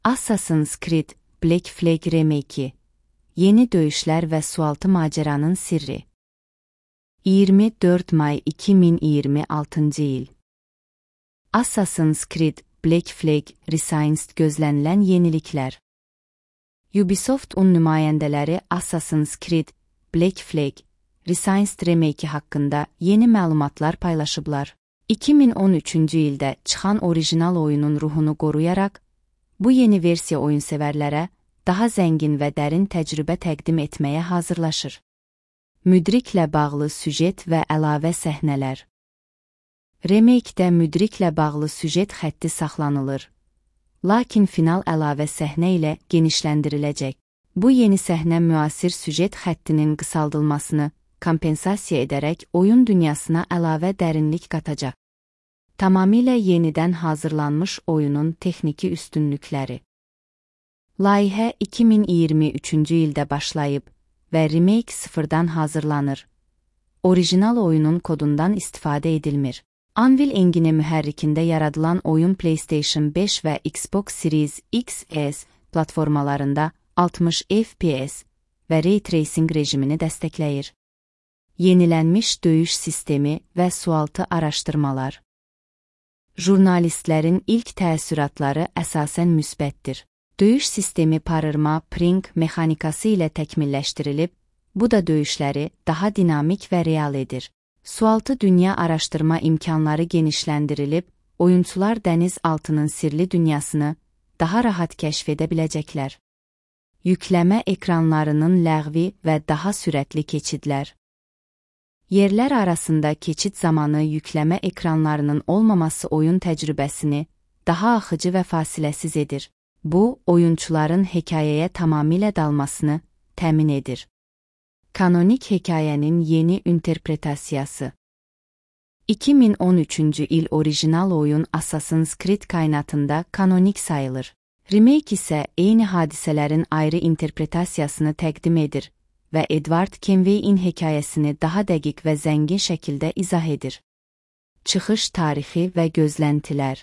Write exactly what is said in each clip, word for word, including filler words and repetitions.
Assassin's Creed Black Flag Remake'i, yeni döyüşlər və sualtı maceranın sirri. iyirmi dörd may iki min iyirmi altıncı il. Assassin's Creed Black Flag Resized gözlənilən yeniliklər. Ubisoft'un nümayəndələri Assassin's Creed Black Flag Resized Remake'i haqqında yeni məlumatlar paylaşıblar. iki min on üçüncü ildə çıxan orijinal oyunun ruhunu qoruyaraq, bu yeni versiya oyunsevərlərə daha zəngin və dərin təcrübə təqdim etməyə hazırlaşır. Müdriklə bağlı süjet və əlavə səhnələr. Remake-də müdriklə bağlı süjet xətti saxlanılır, lakin final əlavə səhnə ilə genişləndiriləcək. Bu yeni səhnə müasir süjet xəttinin qısaldılmasını kompensasiya edərək oyun dünyasına əlavə dərinlik qatacaq. Tamamilə yenidən hazırlanmış oyunun texniki üstünlükləri. Layihə iki min iyirmi üçüncü ildə başlayıb və remake sıfırdan hazırlanır. Orijinal oyunun kodundan istifadə edilmir. Anvil Engine mühərrikində yaradılan oyun PlayStation beş və Xbox Series X S platformalarında altmış F P S və Ray Tracing rejimini dəstəkləyir. Yenilənmiş döyüş sistemi və sualtı araşdırmalar. Jurnalistlərin ilk təəssüratları əsasən müsbətdir. Döyüş sistemi parırma pring mexanikası ilə təkmilləşdirilib, bu da döyüşləri daha dinamik və real edir. Sualtı dünya araşdırma imkanları genişləndirilib, oyunçular dəniz altının sirli dünyasını daha rahat kəşf edə biləcəklər. Yükləmə ekranlarının ləğvi və daha sürətli keçidlər. Yerlər arasında keçid zamanı yükləmə ekranlarının olmaması oyun təcrübəsini daha axıcı və fasiləsiz edir. Bu, oyunçuların hekayəyə tamamilə dalmasını təmin edir. Kanonik hekayənin yeni interpretasiyası. iki min on üçüncü il orijinal oyun Assassin's Creed kainatında kanonik sayılır. Remake isə eyni hadisələrin ayrı interpretasiyasını təqdim edir və Edward Kenway'in hekayəsini daha dəqiq və zəngin şəkildə izah edir. Çıxış tarixi və gözləntilər.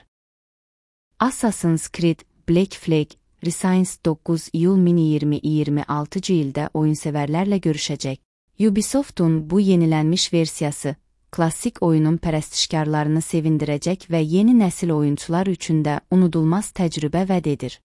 Assassin's Creed Black Flag Resized doqquz iyul min iyirmi altıncı ildə oyunsevərlərlə görüşəcək. Ubisoft'un bu yenilənmiş versiyası, klassik oyunun pərəstişkarlarını sevindirəcək və yeni nəsil oyunçular üçün də unudulmaz təcrübə vəd edir.